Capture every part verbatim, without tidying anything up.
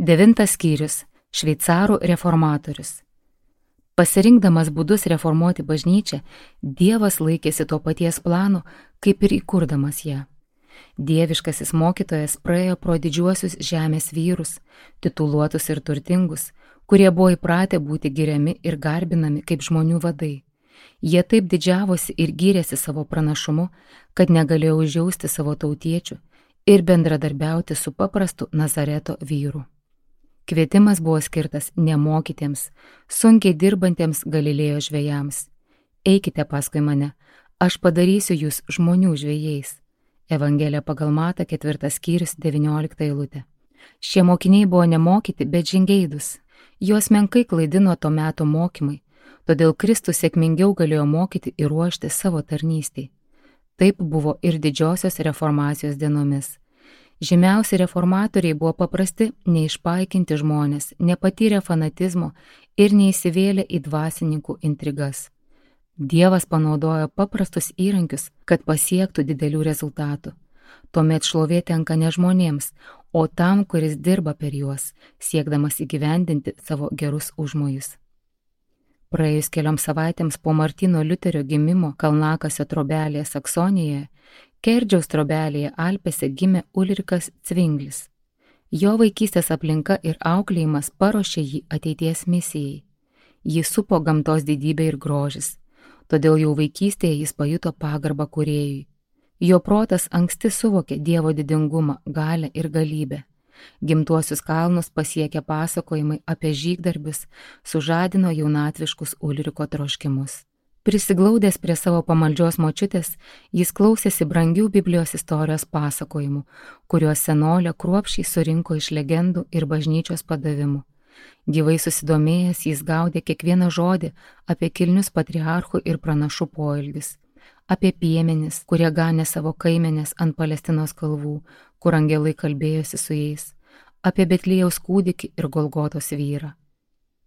Devintas skyrius – Šveicarų reformatorius. Pasirinkdamas būdus reformuoti bažnyčią, Dievas laikėsi to paties plano, kaip ir įkurdamas ją. Dieviškasis mokytojas praėjo pro didžiuosius žemės vyrus, tituluotus ir turtingus, kurie buvo įpratę būti giriami ir garbinami kaip žmonių vadai. Jie taip didžiavosi ir gyrėsi savo pranašumu, kad negalėjo užjausti savo tautiečių ir bendradarbiauti su paprastu Nazareto vyru. Kvietimas buvo skirtas nemokytiems, sunkiai dirbantiems Galilėjo žvejams. Eikite paskui mane, aš padarysiu jūs žmonių žvejais. Evangelija pagal Matą, ketvirtas skyrius, devyniolikta eilutė. Šie mokiniai buvo nemokyti, bet žingeidūs. Juos menkai klaidino to meto mokymai, todėl Kristus sėkmingiau galėjo mokyti ir ruošti savo tarnystei. Taip buvo ir didžiosios reformacijos dienomis. Žymiausi reformatoriai buvo paprasti, neišpaikinti žmonės, nepatyrę fanatizmo ir neįsivėlę į dvasininkų intrigas. Dievas panaudojo paprastus įrankius, kad pasiektų didelių rezultatų. Tuomet šlovė tenka ne žmonėms, o tam, kuris dirba per juos, siekdamas įgyvendinti savo gerus užmojus. Praėjus kelioms savaitėms po Martyno Liuterio gimimo Kalnakasio trobelėje Saksonijoje, Kerdžiaus trobelėje Alpėse gimė Ulrikas Cvinglis. Jo vaikystės aplinka ir auklėjimas paruošė jį ateities misijai. Jį supo gamtos didybė ir grožis, todėl jau vaikystėje jis pajuto pagarbą kūrėjui. Jo protas anksti suvokė Dievo didingumą, galią ir galybę. Gimtuosius kalnus pasiekę pasakojimai apie žygdarbius sužadino jaunatviškus Ulriko troškimus. Prisiglaudęs prie savo pamaldžios močiutės, jis klausėsi brangių Biblijos istorijos pasakojimų, kuriuos senolė kruopščiai surinko iš legendų ir bažnyčios padavimų. Gyvai susidomėjęs, jis gaudė kiekvieną žodį apie kilnius patriarchų ir pranašų poelgius, apie piemenis, kurie ganė savo kaimenės ant Palestinos kalvų, kur angelai kalbėjosi su jais, apie Betliejaus kūdikį ir Golgotos vyrą.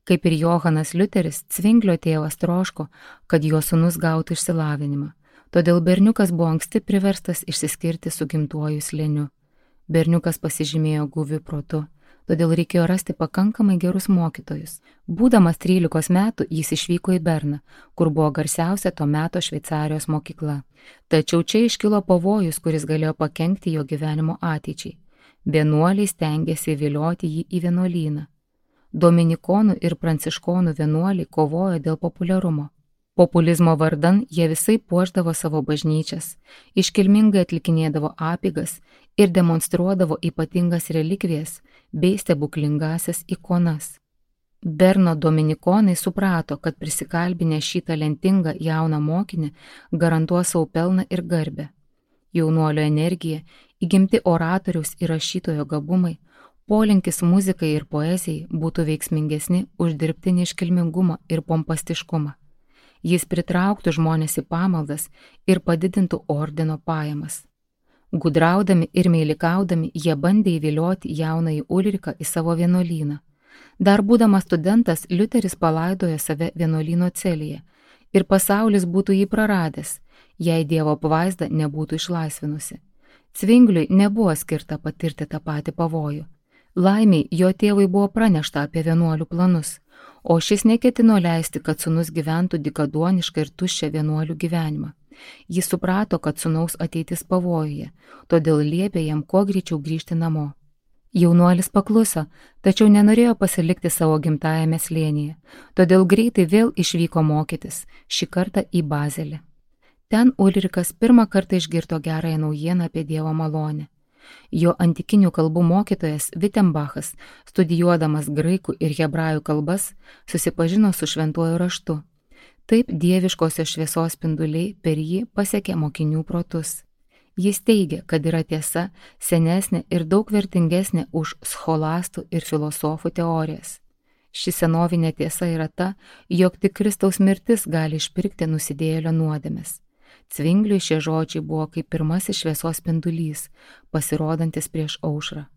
Kaip ir Johanas Liuteris, Cvinglio tėvas troško, kad jo sūnus gautų išsilavinimą, todėl berniukas buvo anksti priverstas išsiskirti su gimtuoju slėniu. Berniukas pasižymėjo guviu protu, todėl reikėjo rasti pakankamai gerus mokytojus. Būdamas trylikos metų jis išvyko į Berną, kur buvo garsiausia to meto Šveicarijos mokykla. Tačiau čia iškilo pavojus, kuris galėjo pakenkti jo gyvenimo ateičiai. Vienuoliai stengėsi įvilioti jį į vienuolyną. Dominikonų ir pranciškonų vienuoliai kovojo dėl populiarumo. Populizmo vardan jie visai puošdavo savo bažnyčias, iškilmingai atlikinėdavo apeigas ir demonstruodavo ypatingas relikvijas bei stebuklingasias ikonas. Berno dominikonai suprato, kad prisikalbinę šį talentingą jauną mokinį garantuos savo pelną ir garbę. Jaunuolio energija, įgimti oratoriaus ir rašytojo gabumai, polinkis muzikai ir poezijai būtų veiksmingesni už dirbtinį iškilmingumą ir pompastiškumą. Jis pritrauktų žmonės į pamaldas ir padidintų ordino pajamas. Gudraudami ir meilikaudami jie bandė įvilioti jaunąjį Ulriką į savo vienuolyną. Dar būdamas studentas, Liuteris palaidojo save vienuolyno celėje ir pasaulis būtų jį praradęs, jei Dievo apvaizda nebūtų išlaisvinusi. Cvingliui nebuvo skirta patirti tą patį pavojų. Laimiai, jo tėvui buvo pranešta apie vienuolių planus, o šis neketino leisti, kad sūnus gyventų dykaduonišką ir tuščią vienuolių gyvenimą. Jis suprato, kad sūnaus ateitis pavojuje, todėl liepė jam kuo greičiau grįžti namo. Jaunuolis pakluso, tačiau nenorėjo pasilikti savo gimtajame slėnyje, todėl greitai vėl išvyko mokytis, šį kartą į Bazelį. Ten Ulrikas pirmą kartą išgirdo gerąją naujieną apie Dievo malonę. Jo antikinių kalbų mokytojas Vitembachas, studijuodamas graikų ir hebrajų kalbas, susipažino su šventuoju raštu. Taip dieviškosios šviesos spinduliai per jį pasiekė mokinių protus. Jis teigia, kad yra tiesa senesnė ir daug vertingesnė už scholastų ir filosofų teorijas. Ši senovinė tiesa yra ta, jog tik Kristaus mirtis gali išpirkti nusidėjėlio nuodėmes. Cvingliui šie žodžiai buvo kaip pirmasis šviesos spindulys, pasirodantis prieš aušrą.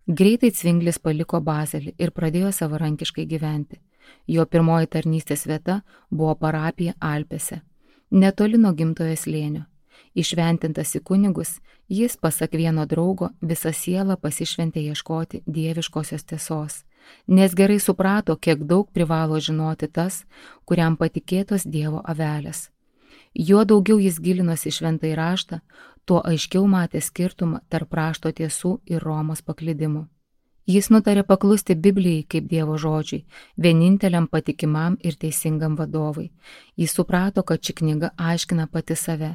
Greitai Cvinglis paliko Bazelį ir pradėjo savarankiškai gyventi. Jo pirmoji tarnystės vieta buvo parapija Alpėse, netoli nuo gimtojo slėnio. Išventintas į kunigus, jis, pasak vieno draugo, visą sielą pasišventė ieškoti dieviškosios tiesos, nes gerai suprato, kiek daug privalo žinoti tas, kuriam patikėtos Dievo avelės. Juo daugiau jis gilinosi į šventąjį raštą, tuo aiškiau matė skirtumą tarp rašto tiesų ir Romos paklydimų. Jis nutarė paklusti Biblijai kaip Dievo žodžiai, vieninteliam patikimam ir teisingam vadovui. Jis suprato, kad ši knyga aiškina pati save.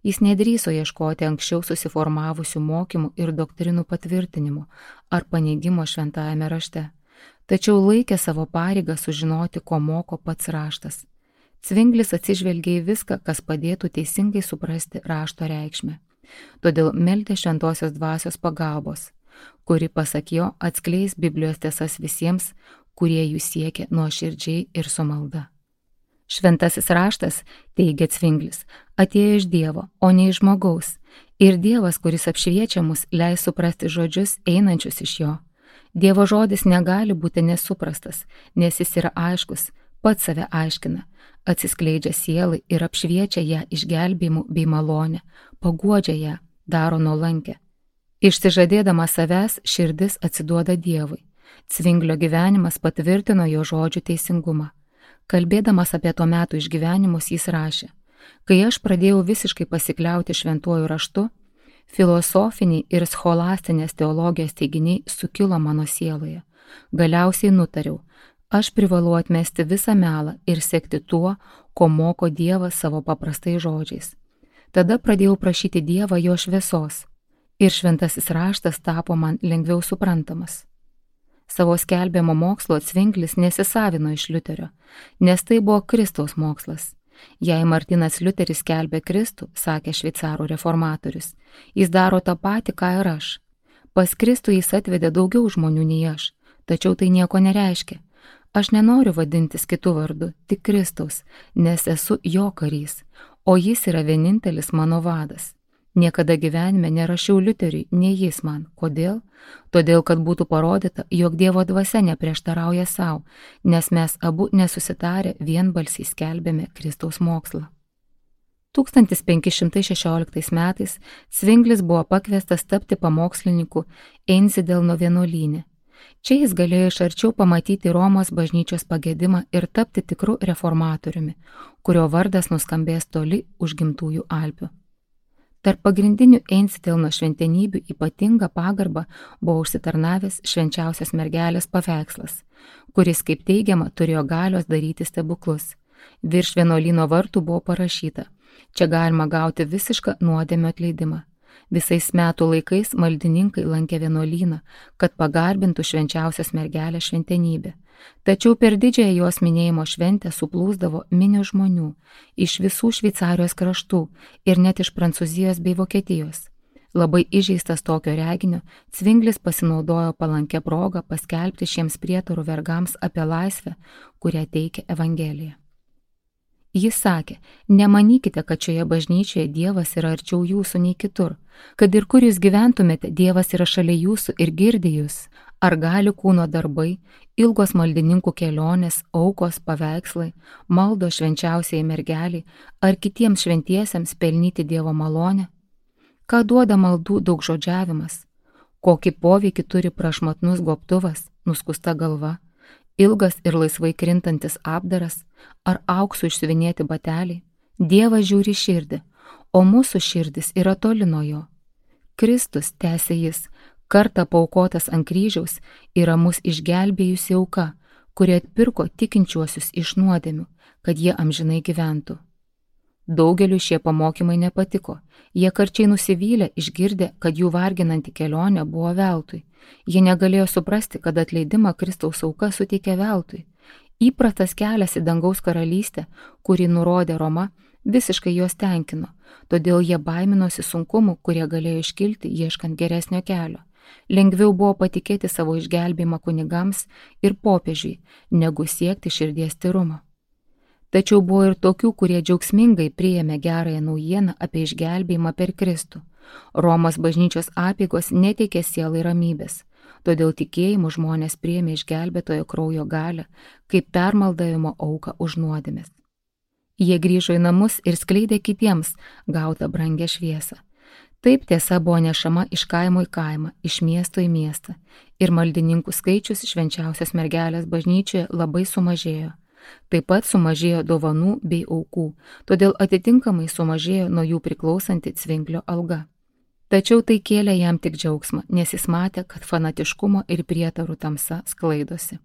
Jis nedrįso ieškoti anksčiau susiformavusių mokymų ir doktrinų patvirtinimų ar paneigimo šventajame rašte, tačiau laikė savo pareigą sužinoti, ko moko pats raštas. Cvinglis atsižvelgė į viską, kas padėtų teisingai suprasti rašto reikšmę. Todėl meldė šventosios dvasios pagalbos, kuri, pasak jo, atskleis Biblijos tiesas visiems, kurie jų siekia nuoširdžiai ir su malda. Šventasis raštas, teigia Cvinglis, atėjo iš Dievo, o ne iš žmogaus, ir Dievas, kuris apšviečia mus, leis suprasti žodžius einančius iš jo. Dievo žodis negali būti nesuprastas, nes jis yra aiškus, pats save aiškina, atsiskleidžia sielai ir apšviečia ją išgelbėjimu bei malonę, paguodžia ją, daro nuolankę. Išsižadėdama savęs, širdis atsiduoda Dievui. Cvinglio gyvenimas patvirtino jo žodžių teisingumą. Kalbėdamas apie to metų išgyvenimus, jis rašė: kai aš pradėjau visiškai pasikliauti šventuoju raštu, filosofiniai ir scholastinės teologijos teiginiai sukilo mano sieloje. Galiausiai nutariau, aš privalau atmesti visą melą ir sekti tuo, ko moko Dievas savo paprastais žodžiais. Tada pradėjau prašyti Dievą jo šviesos ir šventasis raštas tapo man lengviau suprantamas. Savo skelbiamo mokslo Cvinglis nesisavino iš Liuterio, nes tai buvo Kristaus mokslas. Jei Martinas Liuteris skelbė Kristų, sakė šveicarų reformatorius, jis daro tą patį, ką ir aš. Pas Kristų jis atvedė daugiau žmonių nei aš, tačiau tai nieko nereiškia. Aš nenoriu vadintis kitų vardu, tik Kristaus, nes esu jo karys, o jis yra vienintelis mano vadas. Niekada gyvenime nerašiau Liuteriui, nei jis man. Kodėl? Todėl, kad būtų parodyta, jog Dievo dvasia neprieštarauja savo, nes mes abu nesusitarę vienbalsiai skelbėme Kristaus mokslą. tūkstantis penki šimtai šešioliktais metais Cvinglis buvo pakviestas tapti pamokslininku Einsidelno vienuolyne. Čia jis galėjo iš arčiau pamatyti Romos bažnyčios pagedimą ir tapti tikru reformatoriumi, kurio vardas nuskambės toli už gimtųjų Alpių. Tarp pagrindinių Einsidelno šventenybių ypatingą pagarbą buvo užsitarnavęs švenčiausios mergelės paveikslas, kuris, kaip teigiama, turėjo galios daryti stebuklus. Virš vienuolyno vartų buvo parašyta: čia galima gauti visišką nuodėmio atleidimą. Visais metų laikais maldininkai lankė vienuolyną, kad pagarbintų švenčiausios mergelės šventenybę. Tačiau per didžiąją jos minėjimo šventę suplūsdavo minios žmonių iš visų Šveicarijos kraštų ir net iš Prancūzijos bei Vokietijos. Labai įžeistas tokio reginio, Cvinglis pasinaudojo palankę progą paskelbti šiems prietarų vergams apie laisvę, kurią teikia Evangelija. Jis sakė: nemanykite, kad šioje bažnyčioje Dievas yra arčiau jūsų nei kitur. Kad ir kur jūs gyventumėte, Dievas yra šalia jūsų ir girdi jūs. Ar gali kūno darbai, ilgos maldininkų kelionės, aukos, paveikslai, maldo švenčiausiai mergeliai ar kitiems šventiesiems pelnyti Dievo malonę? Ką duoda maldų daugžodžiavimas? Kokį poveikį turi prašmatnus gobtuvas, nuskusta galva, ilgas ir laisvai krintantis apdaras ar auksu išsiuvinėti bateliai? Dievas žiūri širdį, o mūsų širdis yra toli nuo jo. Kristus, tęsė jis, kartą paaukotas ant kryžiaus, yra mus išgelbėjusi auka, kuri atpirko tikinčiuosius iš nuodėmių, kad jie amžinai gyventų. Daugeliu šie pamokymai nepatiko. Jie karčiai nusivylė, išgirdę, kad jų varginanti kelionė buvo veltui. Jie negalėjo suprasti, kad atleidimą Kristaus auka suteikė veltui. Įprastas kelias į dangaus karalystę, kurį nurodė Roma, visiškai juos tenkino, todėl jie baiminosi sunkumų, kurie galėjo iškilti ieškant geresnio kelio. Lengviau buvo patikėti savo išgelbėjimą kunigams ir popiežiui, negu siekti širdies tyrumo. Tačiau buvo ir tokių, kurie džiaugsmingai priėmė gerąją naujieną apie išgelbėjimą per Kristų. Romos bažnyčios apeigos neteikė sielai ramybės, todėl tikėjimu žmonės priėmė išgelbėtojo kraujo galią kaip permaldavimo auką už nuodėmes. Jie grįžo į namus ir skleidė kitiems gautą brangę šviesą. Taip tiesa buvo nešama iš kaimo į kaimą, iš miesto į miestą. Ir maldininkų skaičius švenčiausios mergelės bažnyčioje labai sumažėjo. Taip pat sumažėjo dovanų bei aukų, todėl atitinkamai sumažėjo nuo jų priklausanti Cvinglio alga. Tačiau tai kėlė jam tik džiaugsmą, nes jis matė, kad fanatiškumo ir prietarų tamsa sklaidosi.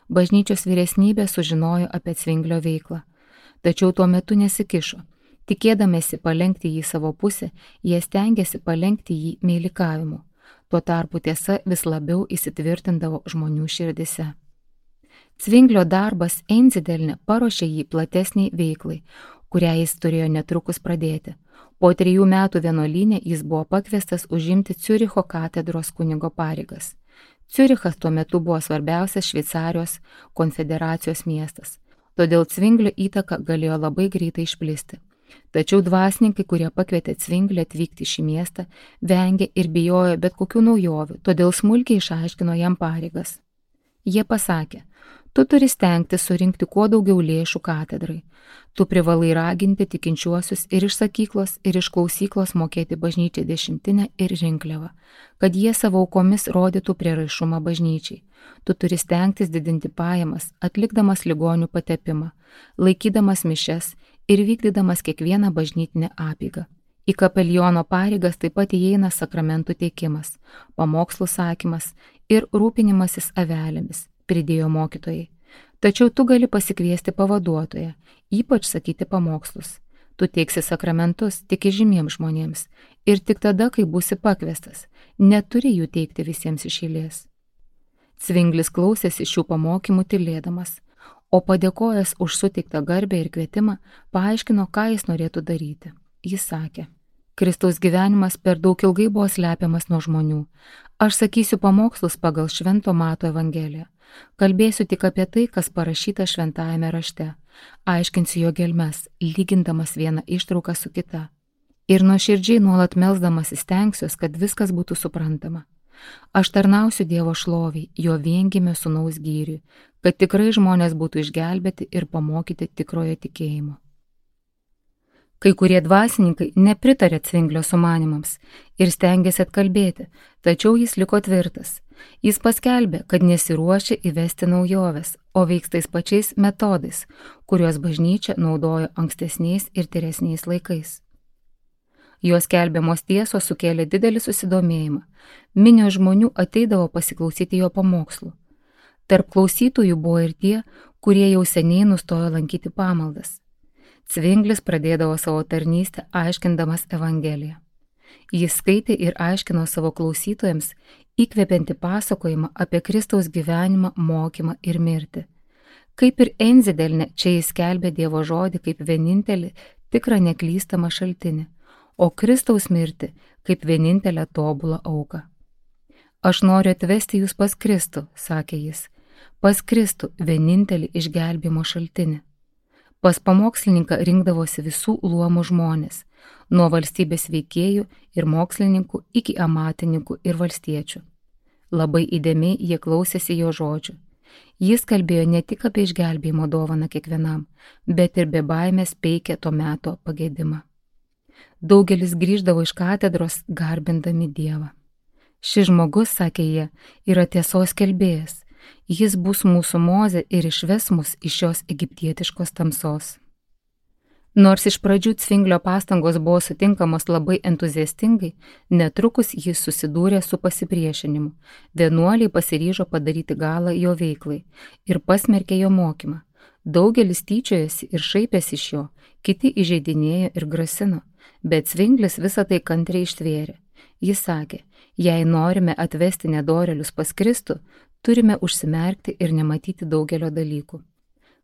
Bažnyčios vyresnybė sužinojo apie Cvinglio veiklą, tačiau tuo metu nesikišo. Tikėdamėsi palenkti jį savo pusę, jie stengiasi palenkti jį meilikavimu. Tuo tarpu tiesa vis labiau įsitvirtindavo žmonių širdise. Cvinglio darbas Einsidelne paruošė jį platesniai veiklai, kurią jis turėjo netrukus pradėti. Po trijų metų vienuolyne jis buvo pakviestas užimti Ciuricho katedros kunigo pareigas. Ciurichas tuo metu buvo svarbiausias Šveicarijos konfederacijos miestas, todėl Cvinglio įtaka galėjo labai greitai išplisti. Tačiau dvasininkai, kurie pakvietė Cvinglį atvykti į šį miestą, vengė ir bijojo bet kokių naujovių, todėl smulkiai išaiškino jam pareigas. Jie pasakė, tu turi stengti surinkti kuo daugiau lėšų katedrai. Tu privalai raginti tikinčiuosius ir iš sakyklos, ir iš klausyklos mokėti bažnyčiai dešimtinę ir rinkliavą, kad jie savo aukomis rodytų prieraišumą bažnyčiai. Tu turi stengtis didinti pajamas, atlikdamas ligonių patepimą, laikydamas mišes ir vykdydamas kiekvieną bažnytinę apeigą. Į kapeliono pareigas taip pat įeina sakramentų teikimas, pamokslų sakymas ir rūpinimasis avelėmis, pridėjo mokytojai. Tačiau tu gali pasikviesti pavaduotoją, ypač sakyti pamokslus. Tu teiksi sakramentus tik įžymiems žmonėms ir tik tada, kai būsi pakviestas, neturi jų teikti visiems iš eilės. Cvinglis klausėsi šių pamokymų tylėdamas, o padėkojęs už suteiktą garbę ir kvietimą, paaiškino, ką jis norėtų daryti. Jis sakė, Kristaus gyvenimas per daug ilgai buvo slepiamas nuo žmonių. Aš sakysiu pamokslus pagal Švento Mato Evangeliją. Kalbėsiu tik apie tai, kas parašyta šventajame rašte. Aiškinsiu jo gelmes, lygindamas vieną ištrauką su kita. Ir nuoširdžiai nuolat melsdamas įstengsiuos, kad viskas būtų suprantama. Aš tarnausiu Dievo šloviai, jo viengimio sūnaus gyriui, kad tikrai žmonės būtų išgelbėti ir pamokyti tikrojo tikėjimo. Kai kurie dvasininkai nepritarė Cvinglio sumanimams ir stengėsi atkalbėti, tačiau jis liko tvirtas. Jis paskelbė, kad nesiruošia įvesti naujoves, o veiks tais pačiais metodais, kuriuos bažnyčia naudojo ankstesniais ir tyresniais laikais. Jos skelbiamos tiesos sukėlė didelį susidomėjimą. Minios žmonių ateidavo pasiklausyti jo pamokslų. Tarp klausytojų buvo ir tie, kurie jau seniai nustojo lankyti pamaldas. Cvinglis pradėdavo savo tarnystę aiškindamas Evangeliją. Jis skaitė ir aiškino savo klausytojams įkvepiantį pasakojimą apie Kristaus gyvenimą, mokymą ir mirtį. Kaip ir Einsidelne, čia jis skelbė Dievo žodį kaip vienintelį tikrą neklystamą šaltinį, o Kristaus mirtį kaip vienintelę tobulą auką. Aš noriu atvesti jūs pas Kristų, sakė jis, pas Kristų vienintelį išgelbėjimo šaltinį. Pas pamokslininką rinkdavosi visų luomų žmonės, nuo valstybės veikėjų ir mokslininkų iki amatininkų ir valstiečių. Labai įdėmiai jie klausėsi jo žodžių. Jis kalbėjo ne tik apie išgelbėjimo dovaną kiekvienam, bet ir be baimės peikė to meto pagėdimą. Daugelis grįždavo iš katedros garbindami Dievą. Šis žmogus, sakė jie, yra tiesos skelbėjas. Jis bus mūsų Mozė ir išves mus iš šios egiptietiškos tamsos. Nors iš pradžių Cvinglio pastangos buvo sutinkamos labai entuziastingai, netrukus jis susidūrė su pasipriešinimu. Vienuoliai pasiryžo padaryti galą jo veiklai ir pasmerkė jo mokymą. Daugelis tyčiojosi ir šaipėsi iš jo, kiti įžeidinėjo ir grasino, bet Cvinglis visą tai kantriai ištvėrė. Jis sakė, jei norime atvesti nedorėlius pas Kristų, turime užsimerkti ir nematyti daugelio dalykų.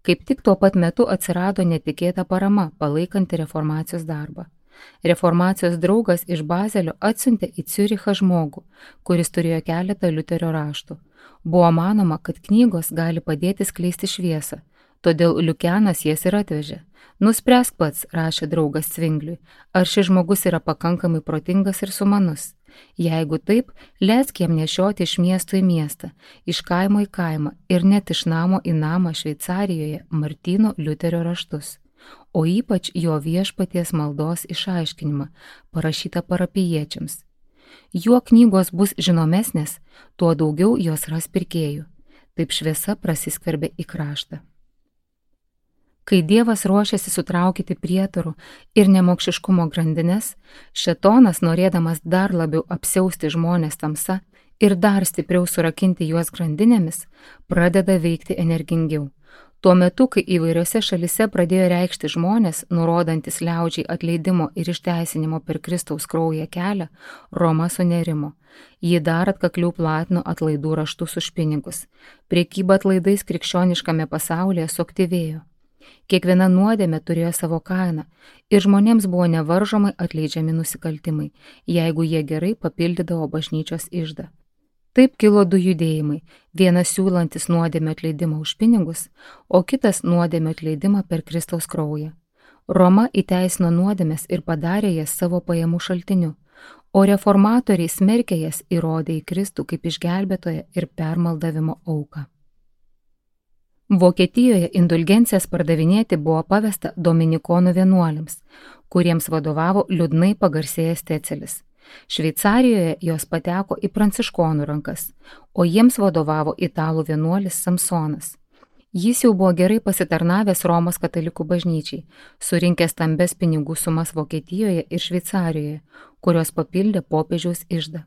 Kaip tik tuo pat metu atsirado netikėta parama, palaikanti reformacijos darbą. Reformacijos draugas iš Bazelio atsiuntė į Ciurichą žmogų, kuris turėjo keletą Liuterio raštų. Buvo manoma, kad knygos gali padėti skleisti šviesą, todėl Liukianas jas ir atvežė. Nuspręsk pats, rašė draugas Cvingliui, ar šis žmogus yra pakankamai protingas ir sumanus. Jeigu taip, leisk jam nešioti iš miesto į miestą, iš kaimo į kaimą ir net iš namo į namą Šveicarijoje Martyno Liuterio raštus. o ypač jo viešpaties maldos išaiškinimą, parašytą parapijiečiams. Juo knygos bus žinomesnės, tuo daugiau jos ras pirkėjų. Taip šviesa prasiskverbė į kraštą. Kai Dievas ruošiasi sutraukyti prietarų ir nemokšiškumo grandines, šėtonas, norėdamas dar labiau apsiausti žmonės tamsa ir dar stipriau surakinti juos grandinėmis, pradeda veikti energingiau. Tuo metu, kai įvairiose šalise pradėjo reikšti žmonės, nurodantis liaudžiai atleidimo ir išteisinimo per Kristaus kraują kelią, Roma sunerimo. Ji dar atkakliau platino atlaidų raštus už pinigus. Prekyba atlaidais krikščioniškame pasaulyje suaktyvėjo. Kiekviena nuodėmė turėjo savo kainą ir žmonėms buvo nevaržomai atleidžiami nusikaltimai, jeigu jie gerai papildydavo bažnyčios iždą. Taip kilo du judėjimai, vienas siūlantis nuodėmę atleidimą už pinigus, o kitas nuodėmę atleidimą per Kristaus kraują. Roma įteisino nuodėmes ir padarė jas savo pajamų šaltiniu, o reformatoriai smerkė jas įrodė į Kristų kaip išgelbėtoją ir permaldavimo auką. Vokietijoje indulgencijas pardavinėti buvo pavesta dominikonų vienuoliams, kuriems vadovavo liūdnai pagarsėjęs Tecelis. Šveicarijoje jos pateko į pranciškonų rankas, o jiems vadovavo italų vienuolis Samsonas. Jis jau buvo gerai pasitarnavęs Romos katalikų bažnyčiai, surinkęs stambes pinigų sumas Vokietijoje ir Šveicarijoje, kurios papildė popiežiaus iždą.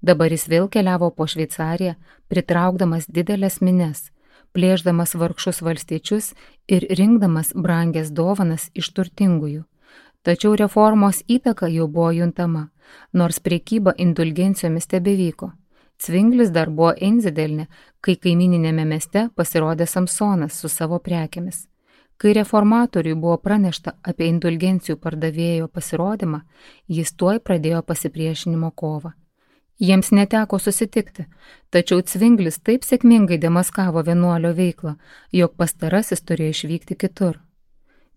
Dabar jis vėl keliavo po Šveicariją, pritraukdamas didelės mines, plėšdamas vargšus valstiečius ir rinkdamas brangias dovanas iš turtingųjų. Tačiau reformos įtaka jau buvo juntama, nors prekyba indulgencijomis tebevyko. Cvinglis dar buvo Einzidelne, kai kaimininėme mieste pasirodė Samsonas su savo prekėmis. Kai reformatoriui buvo pranešta apie indulgencijų pardavėjo pasirodymą, jis tuoj pradėjo pasipriešinimo kovą. Jiems neteko susitikti, tačiau Cvinglis taip sėkmingai demaskavo vienuolio veiklą, jog pastarasis turėjo išvykti kitur.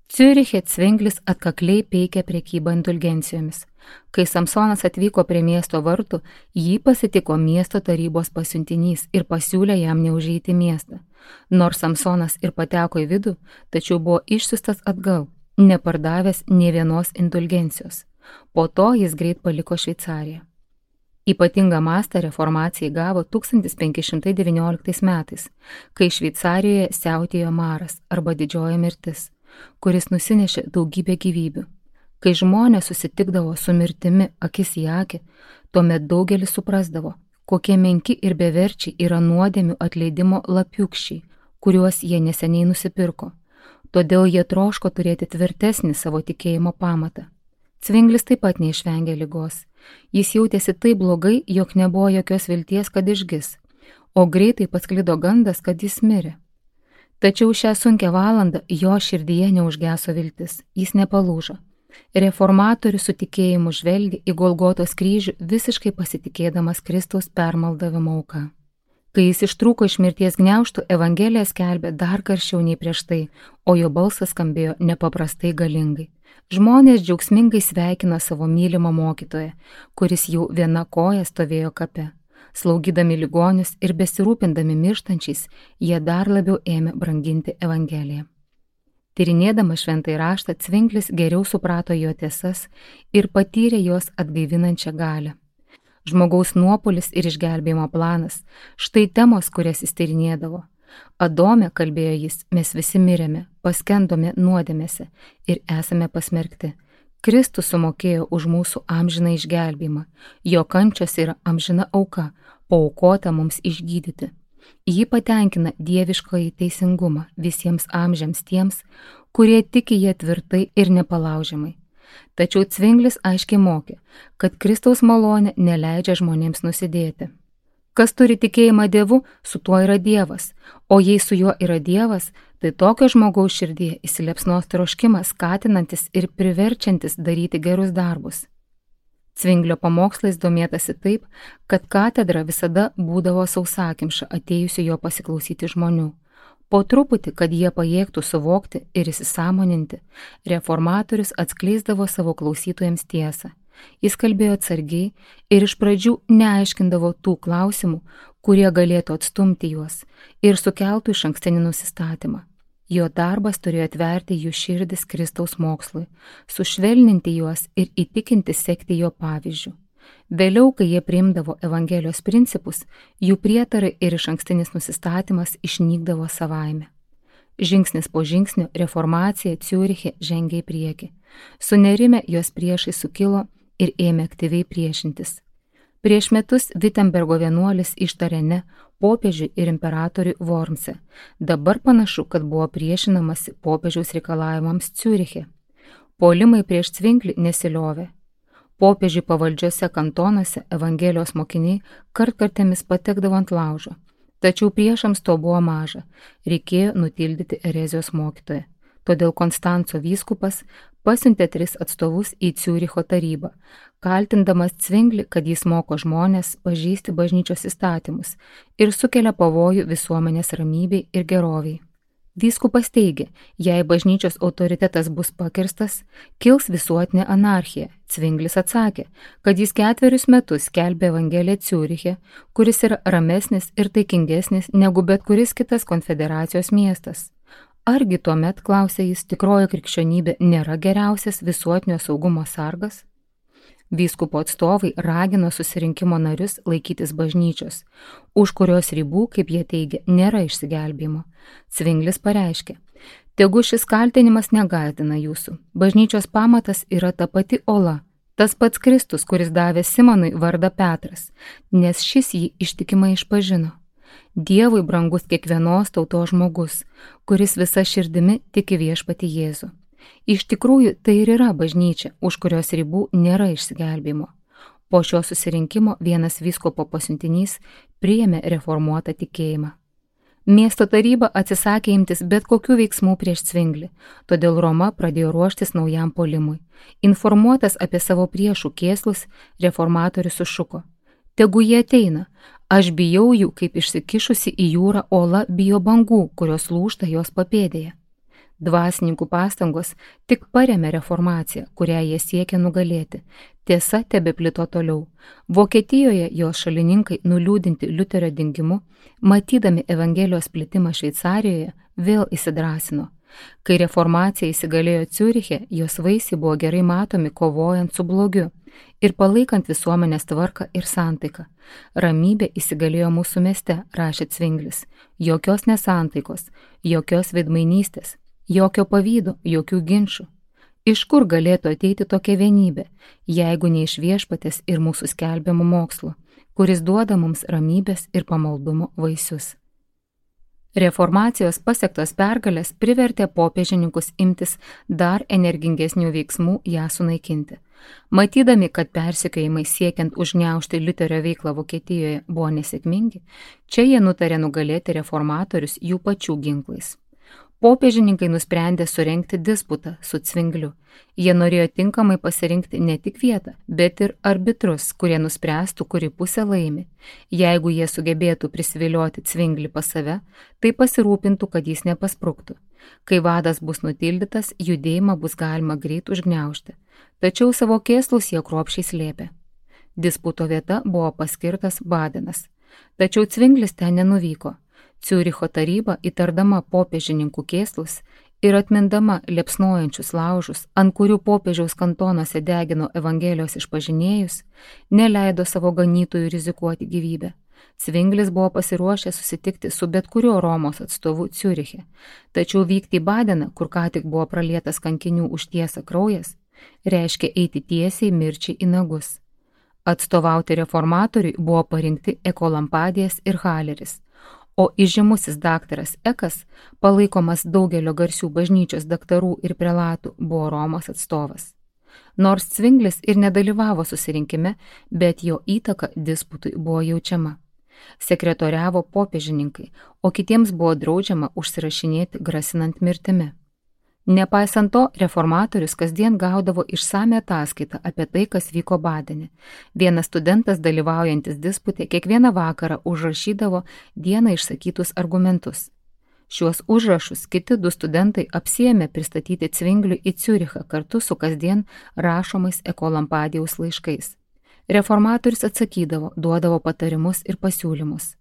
Ciuriche Cvinglis atkakliai peikė prekybą indulgencijomis. Kai Samsonas atvyko prie miesto vartų, jį pasitiko miesto tarybos pasiuntinys ir pasiūlė jam neužeiti miestą. Nors Samsonas ir pateko į vidų, tačiau buvo išsiustas atgal, nepardavęs nė vienos indulgencijos. Po to jis greit paliko Šveicariją. Ypatingą mastą reformacijai gavo tūkstantis penki šimtai devynioliktais metais, kai Šveicarijoje siautėjo maras arba didžioji mirtis, kuris nusinešė daugybę gyvybių. Kai žmonės susitikdavo su mirtimi akis į akį, tuomet daugelis suprasdavo, kokie menki ir beverčiai yra nuodėmių atleidimo lapiukščiai, kuriuos jie neseniai nusipirko. Todėl jie troško turėti tvirtesnį savo tikėjimo pamatą. Cvinglis taip pat neišvengė ligos. Jis jautėsi taip blogai, jog nebuvo jokios vilties, kad išgis, o greitai pasklido gandas, kad jis mirė. Tačiau šią sunkią valandą jo širdyje neužgeso viltis, jis nepalūžo. Reformatorius su tikėjimu žvelgė į Golgotos kryžių, visiškai pasitikėdamas Kristaus permaldavimo auka. Kai jis ištrūko iš mirties gniaužtų, Evangelija skelbė dar karščiau nei prieš tai, o jo balsas skambėjo nepaprastai galingai. Žmonės džiaugsmingai sveikino savo mylimą mokytoją, kuris jau viena koja stovėjo kape. Slaugydami ligonius ir besirūpindami mirštančiais, jie dar labiau ėmė branginti Evangeliją. Tyrinėdamas šventąjį raštą, Cvinglis geriau suprato jo tiesas ir patyrė jos atgaivinančią galią. Žmogaus nuopuolis ir išgelbėjimo planas – štai temos, kurias jis tyrinėdavo. Adome, kalbėjo jis, mes visi mirėme, paskendome nuodėmėse ir esame pasmerkti. Kristus sumokėjo už mūsų amžiną išgelbėjimą, jo kančios yra amžina auka, paaukota mums išgydyti. Ji patenkina dieviškąjį teisingumą visiems amžiams tiems, kurie tiki jie tvirtai ir nepalaužiamai. Tačiau Cvinglis aiškiai mokė, kad Kristaus malonė neleidžia žmonėms nusidėti. Kas turi tikėjimą Dievu, su tuo yra Dievas, o jei su juo yra Dievas, tai tokio žmogaus širdyje įsiliepsnos troškimas, skatinantis ir priverčiantis daryti gerus darbus. Cvinglio pamokslais domėtasi taip, kad katedra visada būdavo sausakimša atėjusių jo pasiklausyti žmonių. Po truputį, kad jie pajėgtų suvokti ir įsisąmoninti, reformatorius atskleisdavo savo klausytojams tiesą. Jis kalbėjo atsargiai ir iš pradžių neaiškindavo tų klausimų, kurie galėtų atstumti juos ir sukeltų išankstinį nusistatymą. Jo darbas turėjo atverti jų širdis Kristaus mokslui, sušvelninti juos ir įtikinti sekti jo pavyzdžių. Vėliau, kai jie priimdavo Evangelijos principus, jų prietarai ir išankstinis nusistatymas išnykdavo savaime. Žingsnis po žingsnio reformacija Ciuriche žengė į priekį. Sunerime jos priešai sukilo ir ėmė aktyviai priešintis. Prieš metus Vitembergo vienuolis ištarė ne popiežiui ir imperatoriui Wormse. Dabar panašu, kad buvo priešinamasi popiežiaus reikalavimams Ciuriche. Puolimai prieš Cvinklį nesiliovė. Popiežiui pavaldžiose kantonuose Evangelijos mokiniai kartkartėmis patekdavo ant laužo. Tačiau priešams to buvo maža, reikėjo nutildyti erezijos mokytoją. Todėl Konstanco vyskupas pasiuntė tris atstovus į Ciuricho tarybą, kaltindamas Cvinklį, kad jis moko žmonės pažeisti bažnyčios įstatymus ir sukelia pavojų visuomenės ramybei ir geroviai. Vyskupas teigė, jei bažnyčios autoritetas bus pakirstas, kils visuotinė anarchija. Cvinklis atsakė, kad jis ketverius metus skelbė Evangeliją Ciuriche, kuris yra ramesnis ir taikingesnis negu bet kuris kitas konfederacijos miestas. Argi tuomet, klausė jis, tikroji krikščionybė nėra geriausias visuotinio saugumo sargas? Vyskupo atstovai ragino susirinkimo narius laikytis bažnyčios, už kurios ribų, kaip jie teigia, nėra išsigelbėjimo. Cvinklis pareiškė, tegu šis kaltinimas negąsdina jūsų. Bažnyčios pamatas yra ta pati ola, tas pats Kristus, kuris davė Simonui vardą Petras, nes šis jį ištikimai išpažino. Dievui brangus kiekvienos tautos žmogus, kuris visa širdimi tiki viešpatį Jėzų. Iš tikrųjų, tai ir yra bažnyčia, už kurios ribų nėra išsigelbėjimo. Po šio susirinkimo vienas vyskupo pasiuntinys priėmė reformuotą tikėjimą. Miesto taryba atsisakė imtis bet kokių veiksmų prieš Cvinklį, todėl Roma pradėjo ruoštis naujam puolimui. Informuotas apie savo priešų kėslus, reformatorius sušuko. Tegu jie ateina, aš bijau jų, kaip išsikišusi į jūrą ola bijo bangų, kurios lūžta jos papėdėje. Dvasininkų pastangos tik paremė reformaciją, kurią jie siekė nugalėti. Tiesa tebeplito toliau. Vokietijoje jos šalininkai, nuliūdinti Liuterio dingimu, matydami Evangelijos plitimą Šveicarijoje, vėl įsidrasino. Kai reformacija įsigalėjo Ciuriche, jos vaisiai buvo gerai matomi kovojant su blogiu ir palaikant visuomenės tvarką ir santaiką. Ramybė įsigalėjo mūsų mieste, rašė Cvinklis. Jokios nesantaikos, jokios veidmainystės. Jokio pavydo, jokių ginčių. Iš kur galėtų ateiti tokia vienybė, jeigu ne iš viešpatės ir mūsų skelbiamų mokslo, kuris duoda mums ramybės ir pamaldumo vaisius. Reformacijos pasiektos pergalės privertė popiežininkus imtis dar energingesnių veiksmų ją sunaikinti. Matydami, kad persekiojimai siekiant užgniaužti Liuterio veiklą Vokietijoje buvo nesėkmingi, čia jie nutarė nugalėti reformatorius jų pačių ginklais. Popiežininkai nusprendė surengti disputą su Cvinkliu. Jie norėjo tinkamai pasirinkti ne tik vietą, bet ir arbitrus, kurie nuspręstų, kuri pusė laimi. Jeigu jie sugebėtų prisivilioti Cvinklį pas save, tai pasirūpintų, kad jis nepaspruktų. Kai vadas bus nutildytas, judėjimą bus galima greit užgniaužti. Tačiau savo kėslus jie kruopščiai slėpė. Disputo vieta buvo paskirtas Badenas. Tačiau Cvinklis ten nenuvyko. Ciuricho taryba, įtardama popiežininkų kėslus ir atmindama liepsnojančius laužus, ant kurių popiežiaus kantonuose degino Evangelijos išpažinėjus, neleido savo ganytojų rizikuoti gyvybę. Cvinklis buvo pasiruošęs susitikti su bet kuriuo Romos atstovu Ciuriche, tačiau vykti į Badeną, kur ką tik buvo pralietas kankinių už tiesą kraujas, reiškia eiti tiesiai mirčiai į nagus. Atstovauti reformatoriui buvo parinkti Ekolampadijas ir Haleris, o įžymusis daktaras Ekas, palaikomas daugelio garsių bažnyčios daktarų ir prelatų, buvo Romos atstovas. Nors Cvinklis ir nedalyvavo susirinkime, bet jo įtaka disputui buvo jaučiama. Sekretoriavo popiežininkai, o kitiems buvo draudžiama užsirašinėti grasinant mirtimi. Nepaisant to, reformatorius kasdien gaudavo išsame ataskaitą apie tai, kas vyko Badene. Vienas studentas dalyvaujantis disputė kiekvieną vakarą užrašydavo dieną išsakytus argumentus. Šiuos užrašus kiti du studentai apsiėmė pristatyti Cvinkliui į Ciurichą kartu su kasdien rašomais Ekolampadijaus laiškais. Reformatorius atsakydavo, duodavo patarimus ir pasiūlymus.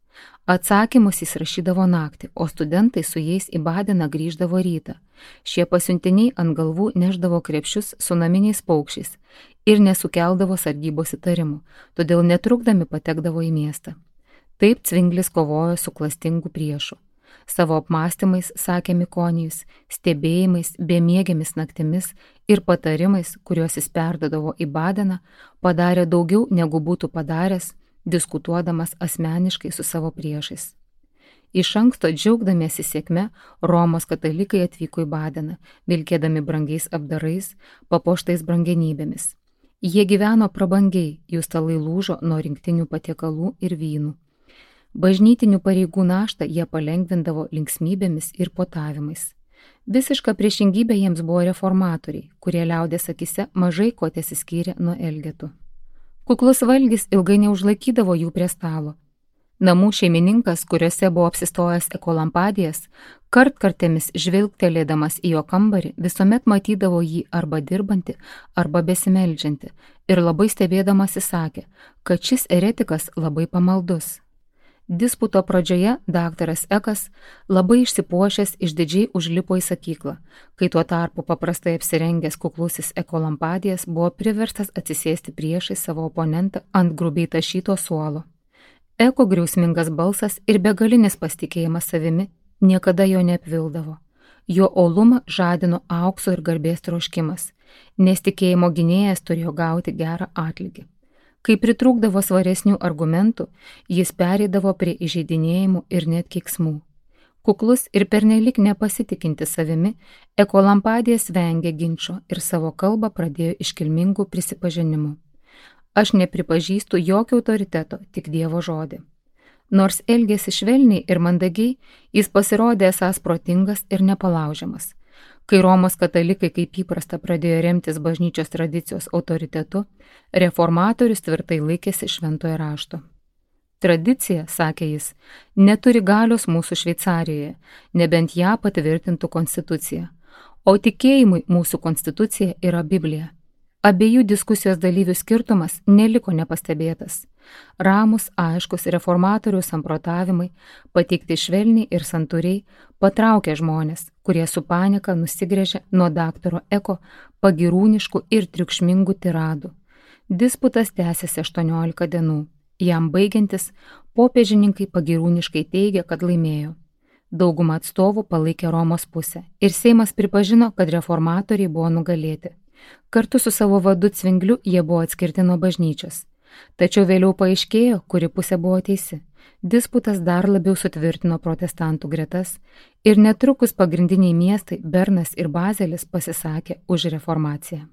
Atsakymus jis rašydavo naktį, o studentai su jais į Badeną grįždavo rytą. Šie pasiuntiniai ant galvų neždavo krepšius su naminiais paukščiais ir nesukeldavo sargybos įtarimų, todėl netrukdami patekdavo į miestą. Taip Cvinglis kovojo su klastingu priešu. Savo apmąstymais, sakė Mikonijus, stebėjimais, bemiegėmis naktimis ir patarimais, kuriuos jis perdodavo į Badeną, padarė daugiau negu būtų padaręs, diskutuodamas asmeniškai su savo priešais. Iš anksto džiaugdamiesi sėkme, Romos katalikai atvyko į Badeną, vilkėdami brangiais apdarais, papuoštais brangenybėmis. Jie gyveno prabangiai, jų stalai lūžo nuo rinktinių patiekalų ir vynų. Bažnytinių pareigų naštą jie palengvindavo linksmybėmis ir potavimais. Visiška priešingybė jiems buvo reformatoriai, kurie liaudės akise mažai ko tesiskyrė nuo elgetų. Kuklus valgis ilgai neužlaikydavo jų prie stalo. Namų šeimininkas, kuriuose buvo apsistojęs Ekolampadijas, kartkartėmis žvilgtelėdamas į jo kambarį, visuomet matydavo jį arba dirbantį, arba besimeldžiantį ir labai stebėdamas įsakė, kad šis eretikas labai pamaldus. Disputo pradžioje daktaras Ekas labai išsipuošęs išdidžiai užlipo į sakyklą, kai tuo tarpu paprastai apsirengęs kuklusis Ekolampadijas buvo priverstas atsisėsti priešais savo oponentą ant grubiai tašyto suolo. Eko griausmingas balsas ir begalinis pasitikėjimas savimi niekada jo neapvildavo. Jo uolumą žadino aukso ir garbės troškimas, nes tikėjimo gynėjas turėjo gauti gerą atlygį. Kai pritrūkdavo svaresnių argumentų, jis pereidavo prie įžeidinėjimų ir net keiksmų. Kuklus ir pernelyg nepasitikinti savimi, Ekolampadijas vengė ginčo ir savo kalbą pradėjo iškilmingų prisipažinimų. Aš nepripažįstu jokio autoriteto, tik Dievo žodį. Nors elgėsi švelniai ir mandagiai, jis pasirodė esąs protingas ir nepalaužiamas. Kai Romos katalikai kaip įprasta pradėjo remtis bažnyčios tradicijos autoritetu, reformatorius tvirtai laikėsi šventojo rašto. Tradicija, sakė jis, neturi galios mūsų Šveicarijoje, nebent ją patvirtintų konstitucija, o tikėjimui mūsų konstitucija yra Biblija. Abiejų diskusijos dalyvių skirtumas neliko nepastebėtas. Ramus, aiškus reformatorių samprotavimai, pateikti švelniai ir santūriai, patraukė žmonės, kurie su panika nusigręžė nuo daktaro Eko pagirūniškų ir triukšmingų tiradų. Disputas tęsėsi aštuoniolika dienų. Jam baigiantis, popiežininkai pagirūniškai teigė, kad laimėjo. Dauguma atstovų palaikė Romos pusę ir Seimas pripažino, kad reformatoriai buvo nugalėti. Kartu su savo vadu Cvingliu jie buvo atskirti nuo bažnyčios. Tačiau vėliau paaiškėjo, kuri pusė buvo teisi. Disputas dar labiau sutvirtino protestantų gretas ir netrukus pagrindiniai miestai Bernas ir Bazelis pasisakė už reformaciją.